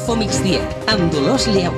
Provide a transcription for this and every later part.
Info Migdia, amb Dolors Lleó.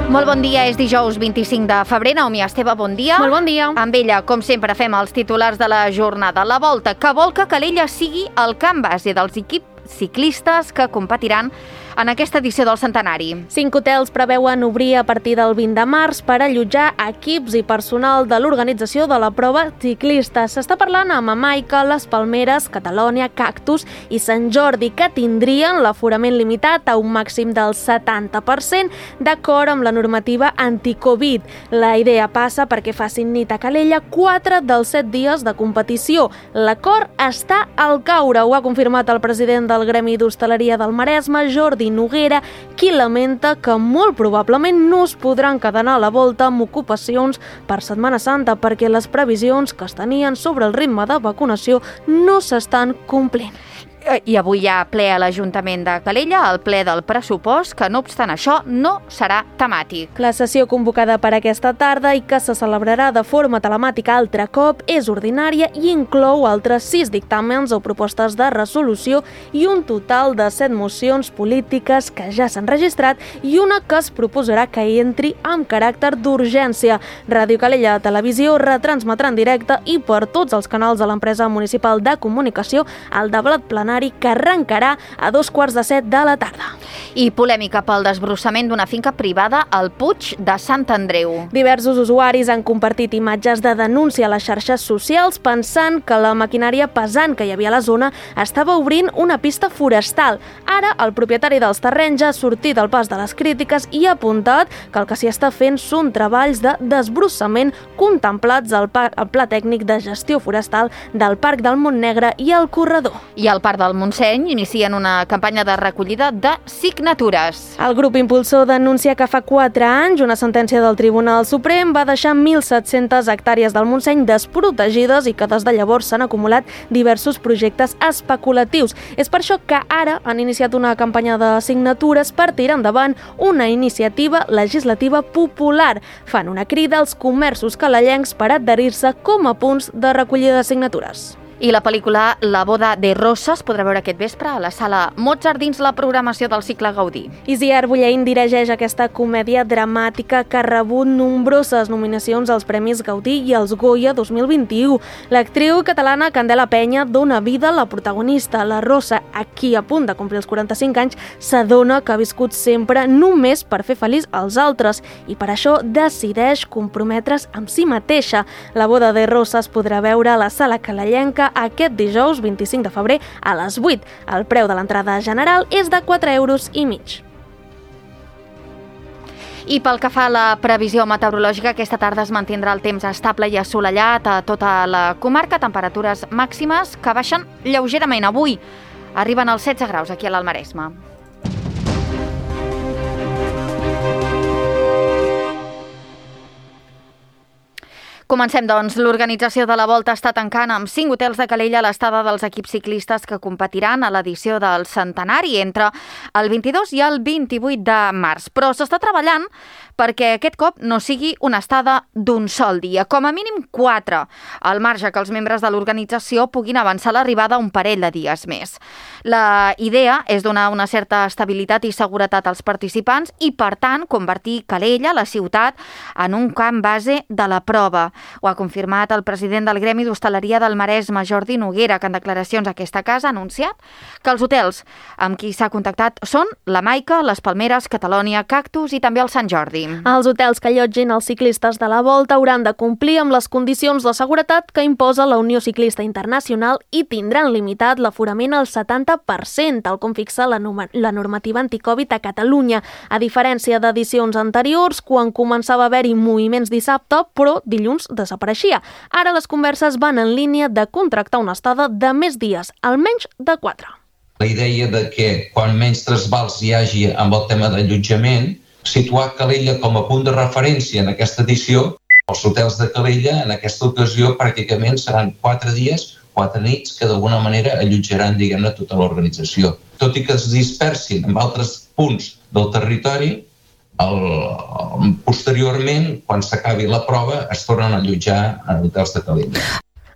Molt bon dia, és dijous 25 de febrer. Naomi Esteve, bon dia. Molt bon dia. Amb ella, com sempre, fem els titulars de la jornada. La Volta, que vol que Calella sigui el camp base dels equips ciclistes que competiran en aquesta edició del centenari. 5 hotels preveuen obrir a partir del 20 de març per allotjar equips i personal de l'organització de la prova ciclista. S'està parlant amb Amaica, Les Palmeres, Catalònia, Cactus i Sant Jordi, que tindrien l'aforament limitat a un màxim del 70% d'acord amb la normativa anti-Covid. La idea passa perquè facin nit a Calella 4 dels 7 dies de competició. L'acord està al caure, ho ha confirmat el president del Gremi d'Hostaleria del Maresme, Jordi Noguera, qui lamenta que molt probablement no es podran quedar a la Volta amb ocupacions per Setmana Santa perquè les previsions que es tenien sobre el ritme de vacunació no s'estan complint. I avui hi ha ple a l'Ajuntament de Calella, el ple del pressupost, que no obstant això no serà temàtic. La sessió convocada per aquesta tarda i que se celebrarà de forma telemàtica altre cop és ordinària i inclou altres 6 dictàmens o propostes de resolució i un total de 7 mocions polítiques que ja s'han registrat i una que es proposarà que entri amb caràcter d'urgència. Ràdio Calella Televisió retransmetrà en directe i per tots els canals de l'empresa municipal de comunicació el debat plenari que arrencarà a 2:15 de la tarda. I polèmica pel desbrossament d'una finca privada al Puig de Sant Andreu. Diversos usuaris han compartit imatges de denúncia a les xarxes socials pensant que la maquinària pesant que hi havia a la zona estava obrint una pista forestal. Ara, el propietari dels terrenys ha sortit al pas de les crítiques i ha apuntat que el que s'hi està fent són treballs de desbrossament contemplats al Pla Tècnic de Gestió Forestal del Parc del Montnegre i el Corredor. I al Parc del Montseny inicien una campanya de recollida de signatures. El grup impulsor denuncia que fa 4 anys una sentència del Tribunal Suprem va deixar 1.700 hectàrees del Montseny desprotegides i que des de llavors s'han acumulat diversos projectes especulatius. És per això que ara han iniciat una campanya de signatures per tirar endavant una iniciativa legislativa popular. Fan una crida als comerços calellencs per adherir-se com a punts de recollida de signatures. I la pel·lícula La boda de Rosa es podrà veure aquest vespre a la sala Mozart dins la programació del cicle Gaudí. Isier Bulleín dirigeix aquesta comèdia dramàtica que ha rebut nombroses nominacions als Premis Gaudí i als Goya 2021. L'actriu catalana Candela Penya dona vida a la protagonista, la Rosa, a qui a punt de complir els 45 anys s'adona que ha viscut sempre només per fer feliç als altres i per això decideix comprometre's amb si mateixa. La boda de Rosa es podrà veure a la sala calellenca aquest dijous 25 de febrer a les 8. El preu de l'entrada general és de 4,5 euros. I pel que fa a la previsió meteorològica, aquesta tarda es mantindrà el temps estable i assolellat a tota la comarca, temperatures màximes que baixen lleugerament. Avui arriben als 16 graus aquí a l'Almaresme. Comencem, doncs. L'organització de la Volta està tancant amb 5 hotels de Calella l'estada dels equips ciclistes que competiran a l'edició del centenari entre el 22 i el 28 de març. Però s'està treballant perquè aquest cop no sigui una estada d'un sol dia, com a mínim 4, al marge que els membres de l'organització puguin avançar l'arribada un parell de dies més. La idea és donar una certa estabilitat i seguretat als participants i, per tant, convertir Calella, la ciutat, en un camp base de la prova. Ho ha confirmat el president del Gremi d'Hostaleria del Maresme, Jordi Noguera, que en declaracions a aquesta casa ha anunciat que els hotels amb qui s'ha contactat són la Maica, Les Palmeres, Catalònia, Cactus i també el Sant Jordi. Els hotels que allotgin els ciclistes de la Volta hauran de complir amb les condicions de seguretat que imposa la Unió Ciclista Internacional i tindran limitat l'aforament al 70%, tal com fixa la normativa anticovid a Catalunya, a diferència d'edicions anteriors, quan començava a haver-hi moviments dissabte, però dilluns desapareixia. Ara les converses van en línia de contractar una estada de més dies, almenys de 4. La idea de que quan menys trasbals hi hagi amb el tema d'allotjament, situar Calella com a punt de referència en aquesta edició. Els hotels de Calella en aquesta ocasió pràcticament seran 4 dies, 4 nits que d'alguna manera allotjaran, diguem-ne, tota l'organització. Tot i que es dispersin en altres punts del territori, posteriorment, quan s'acabi la prova, es tornen a allotjar en hotels de Calella.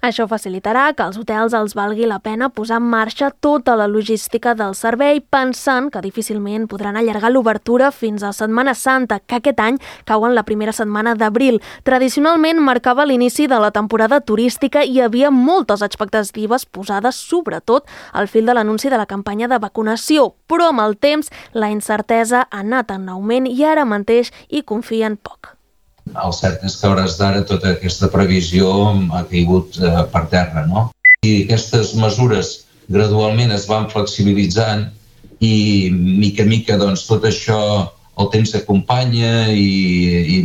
Això facilitarà que als hotels els valgui la pena posar en marxa tota la logística del servei, pensant que difícilment podran allargar l'obertura fins a Setmana Santa, que aquest any cau en la primera setmana d'abril. Tradicionalment marcava l'inici de la temporada turística i hi havia moltes expectatives posades, sobretot al fil de l'anunci de la campanya de vacunació, però amb el temps la incertesa ha anat en augment i ara mateix hi confien poc. El cert és que a hores d'ara tota aquesta previsió ha caigut per terra, no? I aquestes mesures gradualment es van flexibilitzant i mica en mica doncs, tot això el temps acompanya i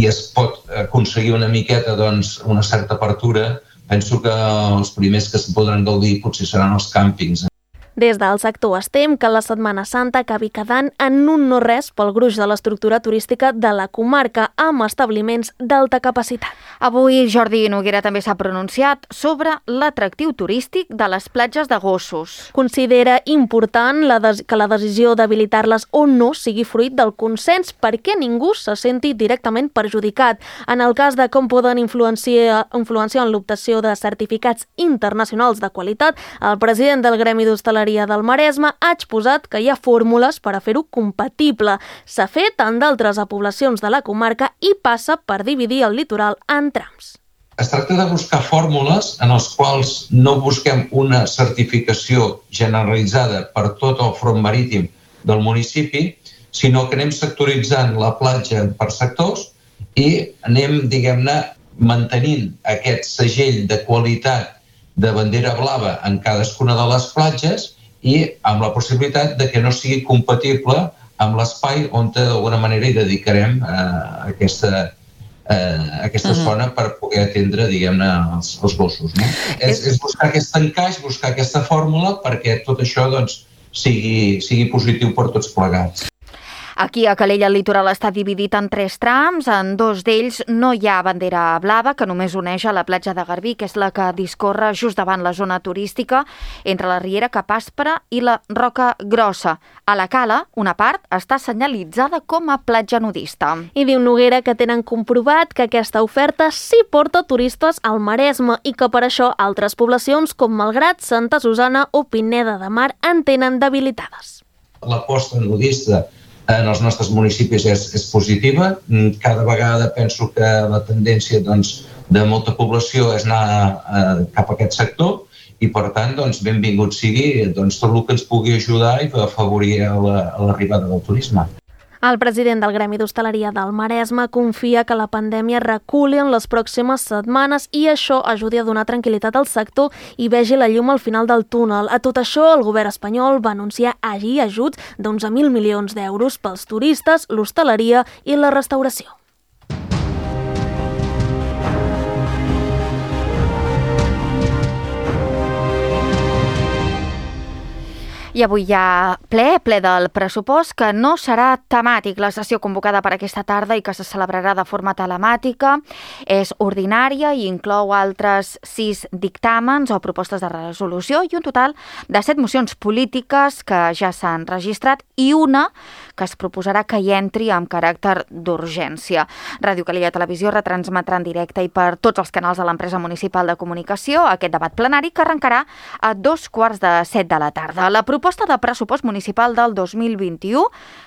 es pot aconseguir una miqueta doncs, una certa apertura. Penso que els primers que se'n podran gaudir potser seran els càmpings. Des del sector estem que la Setmana Santa acabi quedant en un no res pel gruix de l'estructura turística de la comarca amb establiments d'alta capacitat. Avui Jordi Noguera també s'ha pronunciat sobre l'atractiu turístic de les platges de gossos. Considera important que la decisió d'habilitar-les o no sigui fruit del consens perquè ningú se senti directament perjudicat. En el cas de com poden influenciar en l'obtenció de certificats internacionals de qualitat, el president del Gremi d'Hostaleria del Maresme ha exposat que hi ha fórmules per a fer-ho compatible. S'ha fet en d'altres poblacions de la comarca i passa per dividir el litoral en trams. Es tracta de buscar fórmules en les quals no busquem una certificació generalitzada per tot el front marítim del municipi, sinó que anem sectoritzant la platja per sectors i anem, diguem-ne, mantenint aquest segell de qualitat de bandera blava en cadascuna de les platges i amb la possibilitat de que no sigui compatible amb l'espai on d'alguna manera hi dedicarem aquesta zona per poder atendre, diguem-ne, els gossos. No? És buscar aquest encaix, buscar aquesta fórmula perquè tot això doncs, sigui positiu per tots plegats. Aquí a Calella el litoral està dividit en 3 trams. En 2 d'ells no hi ha bandera blava, que només uneix a la platja de Garbí, que és la que discorre just davant la zona turística, entre la Riera Capàspera i la Roca Grossa. A la cala, una part està senyalitzada com a platja nudista. I diu Noguera que tenen comprovat que aquesta oferta sí porta turistes al Maresme i que per això altres poblacions com Malgrat, Santa Susana o Pineda de Mar en tenen debilitades. L'aposta nudista en els nostres municipis és positiva. Cada vegada penso que la tendència de molta població és anar cap a aquest sector i, per tant, benvingut sigui tot el que ens pugui ajudar i afavorir l'arribada del turisme. El president del Gremi d'Hostaleria del Maresme confia que la pandèmia reculi en les pròximes setmanes i això ajudi a donar tranquil·litat al sector i vegi la llum al final del túnel. A tot això, el govern espanyol va anunciar ahir ajuts d'11.000 milions d'euros pels turistes, l'hostaleria i la restauració. I avui hi ha ple del pressupost, que no serà temàtic. La sessió convocada per aquesta tarda i que se celebrarà de forma telemàtica és ordinària i inclou altres 6 dictàmens o propostes de resolució i un total de 7 mocions polítiques que ja s'han registrat i una que es proposarà que hi entri amb caràcter d'urgència. Ràdio Calella Televisió retransmetrà en directe i per tots els canals de l'empresa municipal de comunicació aquest debat plenari que arrencarà a 2:15 de la tarda. La proposta de pressupost municipal del 2021,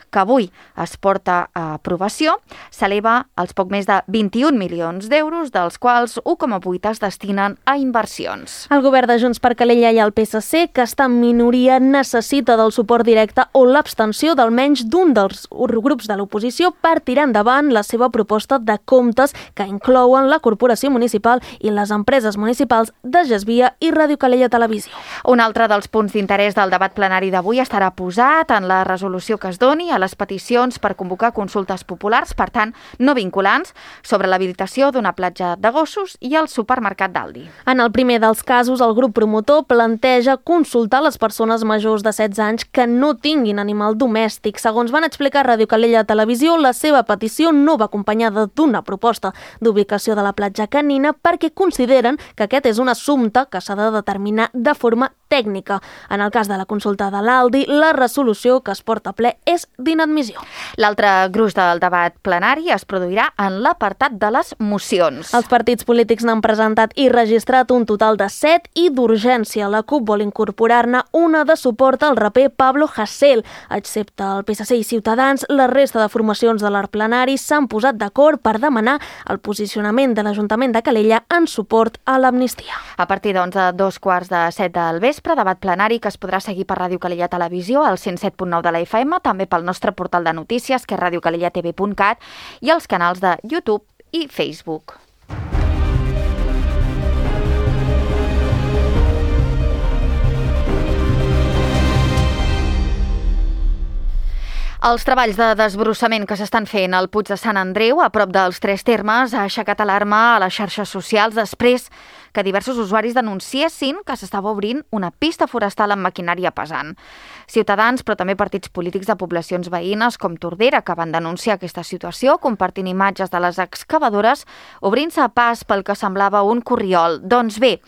que avui es porta a aprovació, s'eleva als poc més de 21 milions d'euros, dels quals 1,8 es destinen a inversions. El govern de Junts per Calella i el PSC, que està en minoria, necessita del suport directe o l'abstenció d'almenys d'un dels grups de l'oposició per tirar endavant la seva proposta de comptes que inclouen la Corporació Municipal i les empreses municipals de Gesvia i Ràdio Calella Televisió. Un altre dels punts d'interès del debat plenari d'avui estarà posat en la resolució que es doni a les peticions per convocar consultes populars, per tant, no vinculants, sobre l'habilitació d'una platja de gossos i el supermercat d'Aldi. En el primer dels casos, el grup promotor planteja consultar les persones majors de 16 anys que no tinguin animal domèstic. Segons van explicar a Ràdio Calella Televisió, la seva petició no va acompanyada d'una proposta d'ubicació de la platja canina perquè consideren que aquest és un assumpte que s'ha de determinar de forma tècnica. En el cas de la consulta de l'Aldi, la resolució que es porta a ple és d'inadmissió. L'altre gruix del debat plenari es produirà en l'apartat de les mocions. Els partits polítics n'han presentat i registrat un total de 7 i d'urgència. La CUP vol incorporar-ne una de suport al raper Pablo Hasél. Excepte el PSC i Ciutadans, la resta de formacions de l'art plenari s'han posat d'acord per demanar el posicionament de l'Ajuntament de Calella en suport a l'amnistia. A partir de 2:15 del vespre, debat plenari que es podrà seguir per Ràdio Calella Televisió, al 107.9 de la FM, també pel nostre portal de notícies, que és radiocalellatv.cat, i els canals de YouTube i Facebook. Els treballs de desbrossament que s'estan fent al Puig de Sant Andreu, a prop dels Tres Termes, ha aixecat alarma a les xarxes socials després que diversos usuaris denunciessin que s'estava obrint una pista forestal amb maquinària pesant. Ciutadans, però també partits polítics de poblacions veïnes com Tordera, que van denunciar aquesta situació, compartint imatges de les excavadores, obrint-se a pas pel que semblava un corriol. Doncs bé,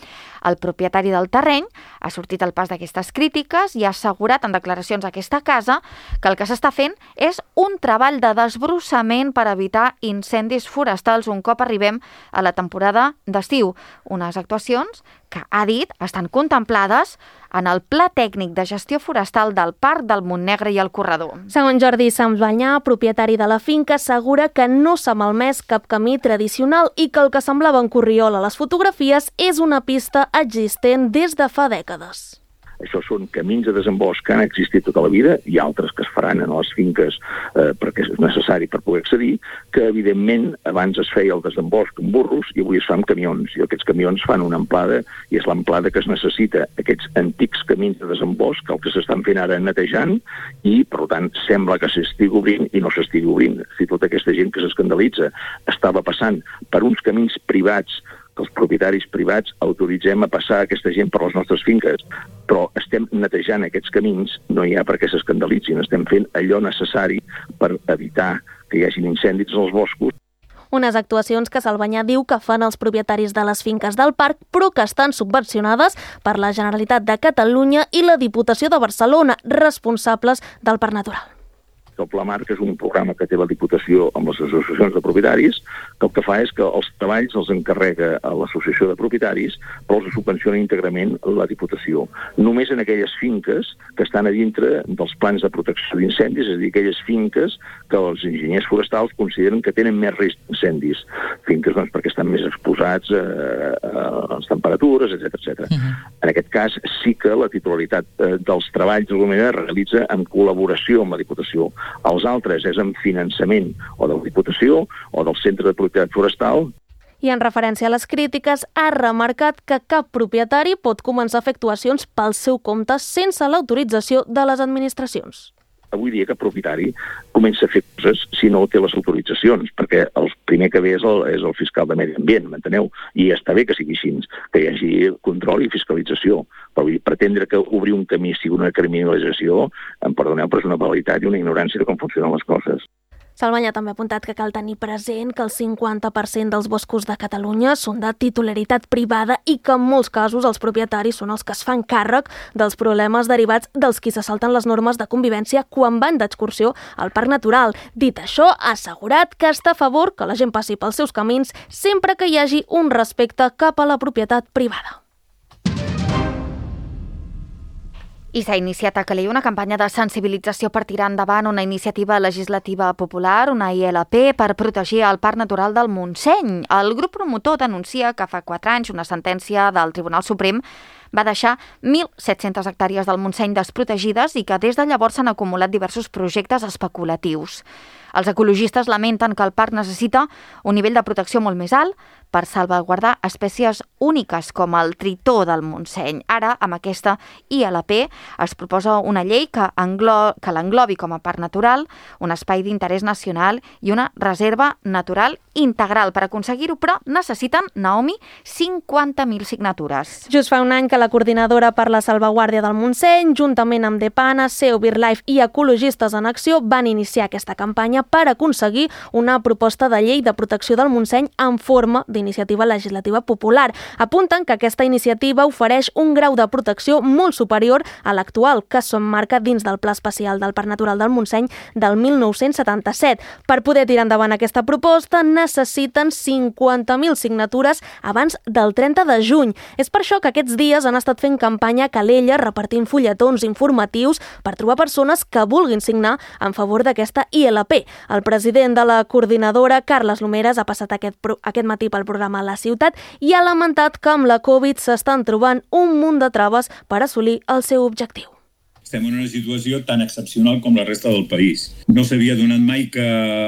el propietari del terreny ha sortit al pas d'aquestes crítiques i ha assegurat en declaracions a aquesta casa que el que s'està fent és un treball de desbrossament per evitar incendis forestals un cop arribem a la temporada d'estiu. Unes actuacions que, ha dit, estan contemplades en el Pla Tècnic de Gestió Forestal del Parc del Montnegre i el Corredor. Segons Jordi Sambanyà, propietari de la finca, assegura que no s'ha malmès cap camí tradicional i que el que semblava un corriol a les fotografies és una pista existent des de fa dècades. Això són camins de desembosch que han existit tota la vida i altres que es faran en les finques perquè és necessari per poder accedir, que evidentment abans es feia el desembosch amb burros i avui es fa amb camions. I aquests camions fan una amplada i és l'amplada que es necessita. Aquests antics camins de desembosch, el que s'estan fent ara netejant i, per tant, sembla que s'estigui obrint i no s'estigui obrint. Si tota aquesta gent que s'escandalitza estava passant per uns camins privats que els propietaris privats autoritzem a passar aquesta gent per les nostres finques, però estem netejant aquests camins, no hi ha per què s'escandalitzin, estem fent allò necessari per evitar que hi hagi incendis als boscos. Unes actuacions que Sambanyà diu que fan els propietaris de les finques del parc, però que estan subvencionades per la Generalitat de Catalunya i la Diputació de Barcelona, responsables del Parc Natural. El Pla Marc és un programa que té la Diputació amb les associacions de propietaris, que el que fa és que els treballs els encarrega a l'associació de propietaris, però els subvenciona íntegrament la Diputació. Només en aquelles finques que estan a dintre dels plans de protecció d'incendis, és a dir, aquelles finques que els enginyers forestals consideren que tenen més risc d'incendis. Finques, doncs, perquè estan més exposats a les temperatures, etc. En aquest cas, sí que la titularitat dels treballs d'alguna manera realitza en col·laboració amb la Diputació. Els altres és en finançament o de la Diputació o del Centre de Propietat Forestal. I en referència a les crítiques, ha remarcat que cap propietari pot començar a fer actuacions pel seu compte sense l'autorització de les administracions. Avui dia cap propietari comença a fer coses si no té les autoritzacions, perquè el primer que ve és el fiscal de Medi Ambient, m'enteneu? I està bé que sigui així, que hi hagi control i fiscalització, però pretendre que obrir un camí sigui una criminalització, em perdoneu, però és una banalitat i una ignorància de com funcionen les coses. Sambanyà també ha apuntat que cal tenir present que el 50% dels boscos de Catalunya són de titularitat privada i que en molts casos els propietaris són els que es fan càrrec dels problemes derivats dels qui se salten les normes de convivència quan van d'excursió al Parc Natural. Dit això, ha assegurat que està a favor que la gent passi pels seus camins sempre que hi hagi un respecte cap a la propietat privada. I s'ha iniciat a Calella una campanya de sensibilització per tirar endavant una iniciativa legislativa popular, una ILP, per protegir el Parc Natural del Montseny. El grup promotor denuncia que fa 4 anys una sentència del Tribunal Suprem va deixar 1.700 hectàrees del Montseny desprotegides i que des de llavors s'han acumulat diversos projectes especulatius. Els ecologistes lamenten que el parc necessita un nivell de protecció molt més alt per salvaguardar espècies úniques com el tritó del Montseny. Ara, amb aquesta ILP, es proposa una llei que l'englobi com a parc natural, un espai d'interès nacional i una reserva natural integral. Per aconseguir-ho, però, necessiten, Naomi, 50.000 signatures. Just fa un any que la Coordinadora per la Salvaguàrdia del Montseny, juntament amb Depana, SEO, BirdLife i Ecologistes en Acció, van iniciar aquesta campanya per aconseguir una proposta de llei de protecció del Montseny en forma d'iniciativa legislativa popular. Apunten que aquesta iniciativa ofereix un grau de protecció molt superior a l'actual, que s'emmarca dins del Pla Especial del Parc Natural del Montseny del 1977. Per poder tirar endavant aquesta proposta necessiten 50.000 signatures abans del 30 de juny. És per això que aquests dies han estat fent campanya a Calella repartint fulletons informatius per trobar persones que vulguin signar en favor d'aquesta ILP. El president de la coordinadora, Carles Lomeres, ha passat aquest matí pel programa La Ciutat i ha lamentat que amb la Covid s'estan trobant un munt de traves per assolir el seu objectiu. Estem en una situació tan excepcional com la resta del país. No s'havia donat mai que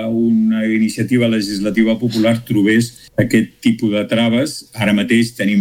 una iniciativa legislativa popular trobés aquest tipus de traves. Ara mateix tenim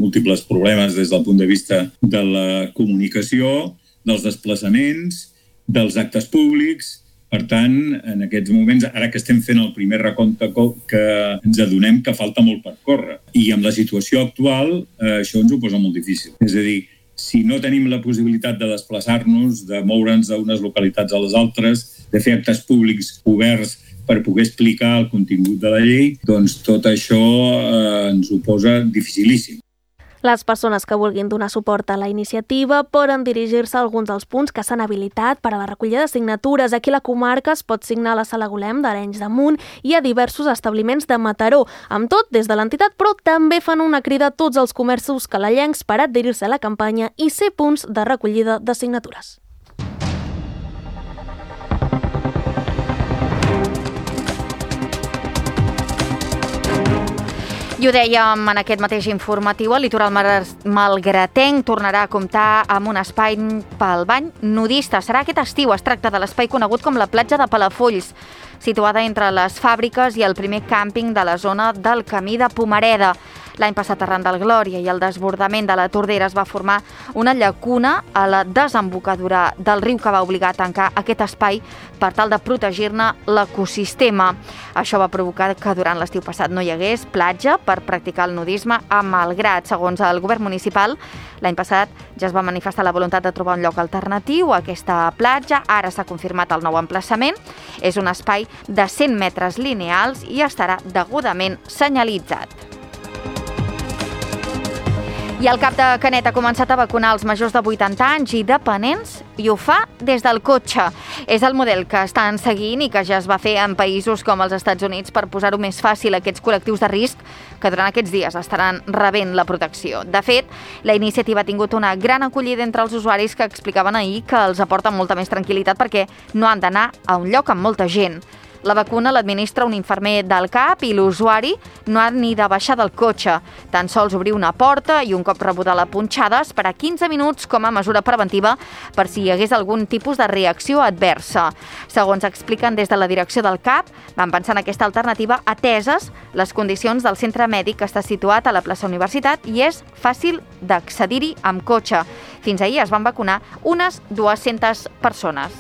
múltiples problemes des del punt de vista de la comunicació, dels desplaçaments, dels actes públics. Per tant, en aquests moments, ara que estem fent el primer recompte, que ens adonem que falta molt per córrer. I amb la situació actual, això ens ho posa molt difícil. És a dir, si no tenim la possibilitat de desplaçar-nos, de moure'ns d'unes localitats a les altres, de fer actes públics oberts per poder explicar el contingut de la llei, doncs tot això ens ho posa dificilíssim. Les persones que vulguin donar suport a la iniciativa poden dirigir-se a alguns dels punts que s'han habilitat per a la recollida de signatures. Aquí a la comarca es pot signar a la Sala Golem d'Arenys de Munt i a diversos establiments de Mataró. Amb tot, des de l'entitat, però també fan una crida a tots els comerços calellencs per adherir-se a la campanya i ser punts de recollida de signatures. I ho dèiem en aquest mateix informatiu, el litoral malgratenc tornarà a comptar amb un espai pel bany nudista. Serà aquest estiu. Es tracta de l'espai conegut com la platja de Palafolls, situada entre les fàbriques i el primer càmping de la zona del Camí de Pomareda. L'any passat, arran del Glòria i el desbordament de la Tordera, es va formar una llacuna a la desembocadura del riu que va obligar a tancar aquest espai per tal de protegir-ne l'ecosistema. Això va provocar que durant l'estiu passat no hi hagués platja per practicar el nudisme a Malgrat. Segons el govern municipal, l'any passat ja es va manifestar la voluntat de trobar un lloc alternatiu a aquesta platja. Ara s'ha confirmat el nou emplaçament. És un espai de 100 metres lineals i estarà degudament senyalitzat. I el cap de Canet ha començat a vacunar els majors de 80 anys i dependents i ho fa des del cotxe. És el model que estan seguint i que ja es va fer en països com els Estats Units per posar-ho més fàcil a aquests col·lectius de risc que durant aquests dies estaran rebent la protecció. De fet, la iniciativa ha tingut una gran acollida entre els usuaris que explicaven ahir que els aporta molta més tranquil·litat perquè no han d'anar a un lloc amb molta gent. La vacuna l'administra un infermer del CAP i l'usuari no ha ni de baixar del cotxe. Tan sols obrir una porta i un cop rebuda la punxada, esperar 15 minuts com a mesura preventiva per si hi hagués algun tipus de reacció adversa. Segons expliquen des de la direcció del CAP, van pensar en aquesta alternativa ateses les condicions del centre mèdic que està situat a la plaça Universitat i és fàcil d'accedir-hi amb cotxe. Fins ahir es van vacunar unes 200 persones.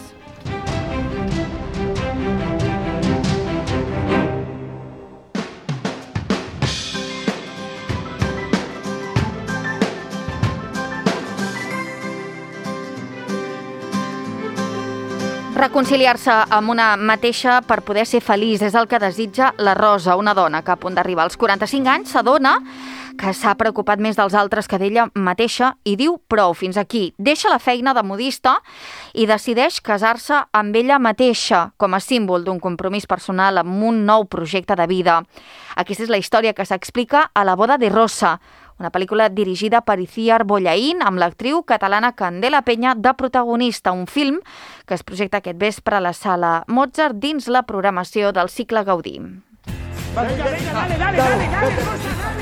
Reconciliar-se amb una mateixa per poder ser feliç és el que desitja la Rosa, una dona que a punt d'arribar als 45 anys s'adona que s'ha preocupat més dels altres que d'ella mateixa i diu prou, fins aquí. Deixa la feina de modista i decideix casar-se amb ella mateixa com a símbol d'un compromís personal amb un nou projecte de vida. Aquesta és la història que s'explica a La boda de Rosa, una pel·lícula dirigida per Iciar Bollaín amb l'actriu catalana Candela Peña de protagonista, un film que es projecta aquest vespre a la Sala Mozart dins la programació del cicle Gaudí. Dale.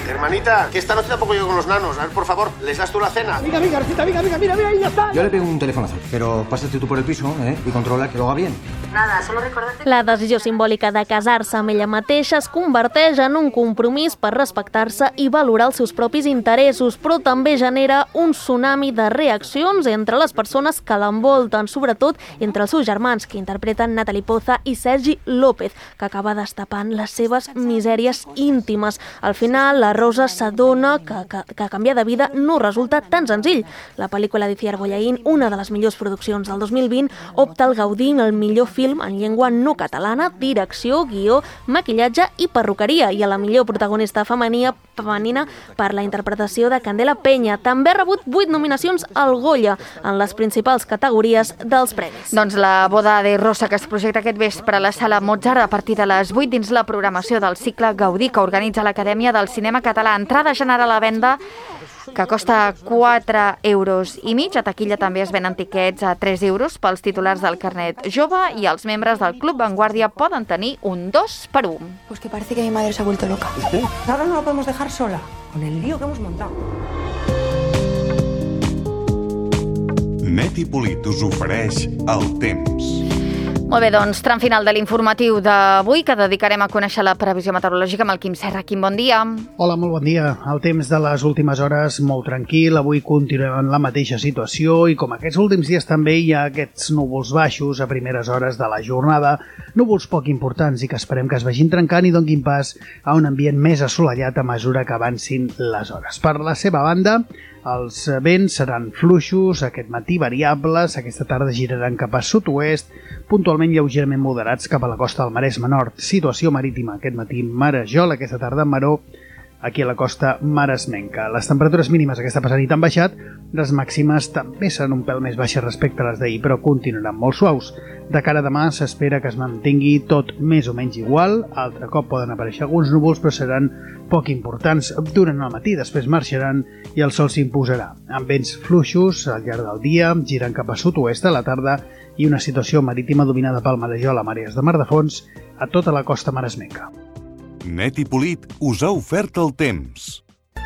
Hermanita, que esta noche tampoco llego con los nanos. A ver, por favor, ¿les das tú la cena? Venga, Rosita, mira, ahí ya está. Yo le pego un telefonazo, pero pásate tú por el piso, y controla que lo haga bien. Nada, solo recordarte... La decisió simbòlica de casar-se amb ella mateixa es converteix en un compromís per respectar-se i valorar els seus propis interessos, però també genera un tsunami de reaccions entre les persones que l'envolten, sobretot entre els seus germans, que interpreten Natalie Poza i Sergi López, que acaba destapant les seves misèries íntimes. Al final, la Rosa s'adona que canviar de vida no resulta tan senzill. La pel·lícula d'Iciar Bollaín, una de les millors produccions del 2020, opta al Gaudí el millor film en llengua no catalana, direcció, guió, maquillatge i perruqueria, i a la millor protagonista femenina per la interpretació de Candela Peña. També ha rebut 8 nominacions al Goya en les principals categories dels premis. Doncs la boda de Rosa, que es projecta aquest vespre a la Sala Mozart a partir de les 8 dins la programació del cicle Gaudí que organitza l'Acadèmia del Cinema Català. Entrada general a la venda que costa 4,5 euros. A taquilla també es venen tiquets a 3 euros pels titulars del carnet jove i els membres del Club Vanguardia poden tenir un 2x1. Pues que parece que mi madre se ha vuelto loca. Ahora no la podemos dejar sola, con el lío que hemos montado. Net i Polit us ofereix el temps. Molt bé, doncs, tram final de l'informatiu d'avui, que dedicarem a conèixer la previsió meteorològica amb el Quim Serra. Quim, bon dia. Hola, molt bon dia. El temps de les últimes hores molt tranquil. Avui continuem en la mateixa situació i com aquests últims dies també hi ha aquests núvols baixos a primeres hores de la jornada, núvols poc importants i que esperem que es vagin trencant i donguin pas a un ambient més assolellat a mesura que avancin les hores. Per la seva banda, els vents seran fluixos, aquest matí variables, aquesta tarda giraran cap a sud-oest, puntualment lleugerament moderats cap a la costa del Maresme Nord. Situació marítima aquest matí marejol, aquesta tarda maró aquí a la costa maresmenca. Les temperatures mínimes aquesta passada nit han baixat, les màximes també seran un pèl més baixes respecte a les d'ahir, però continuaran molt suaus. De cara a demà s'espera que es mantingui tot més o menys igual, altre cop poden aparèixer alguns núvols, però seran poc importants durant el matí, després marxaran i el sol s'imposarà. Amb vents fluixos al llarg del dia, girant cap a sud-oest a la tarda i una situació marítima dominada pel marejol a marees de mar de fons a tota la costa maresmenca. Net i Polit us ha ofert el temps.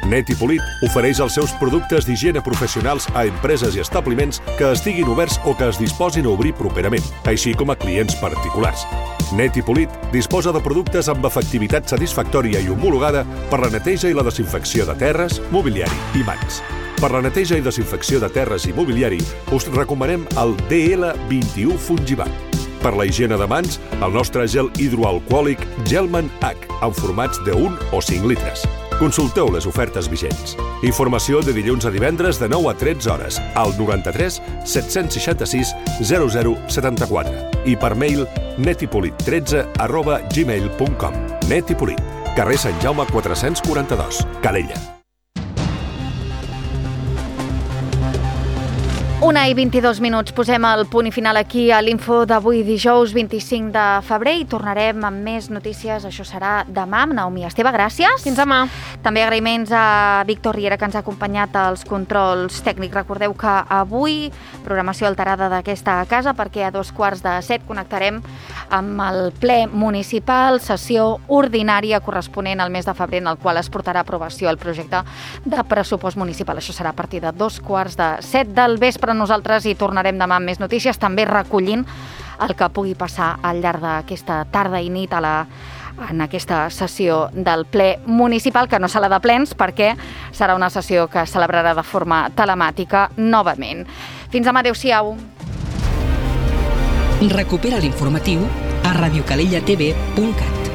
Net i Polit ofereix els seus productes d'higiene professionals a empreses i establiments que estiguin oberts o que es disposin a obrir properament, així com a clients particulars. Net i Polit disposa de productes amb efectivitat satisfactòria i homologada per la neteja i la desinfecció de terres, mobiliari i mans. Per la neteja i desinfecció de terres i mobiliari us recomanem el DL21 Fungibat. Per la higiene de mans, el nostre gel hidroalcohòlic Gelman H, en formats de 1 o 5 litres. Consulteu les ofertes vigents. Informació de dilluns a divendres de 9 a 13 hores al 93 766 0074 i per mail netipolit13@gmail.com. Net i Polit, carrer Sant Jaume 442, Calella. 1:22. Posem el punt i final aquí a l'info d'avui, dijous 25 de febrer, i tornarem amb més notícies. Això serà demà amb Naomi Esteve. Gràcies. Fins demà. També agraïments a Víctor Riera, que ens ha acompanyat als controls tècnics. Recordeu que avui programació alterada d'aquesta casa, perquè a 6:15 connectarem amb el ple municipal, sessió ordinària corresponent al mes de febrer, en el qual es portarà a aprovació el projecte de pressupost municipal. Això serà a partir de 6:15 del vespre. Nosaltres hi tornarem demà amb més notícies, també recollint el que pugui passar al llarg d'aquesta tarda i nit en aquesta sessió del ple municipal, que no serà de plens perquè serà una sessió que es celebrarà de forma telemàtica novament. Fins demà, adéu-siau. Recupera l'informatiu a radiocalellatv.cat.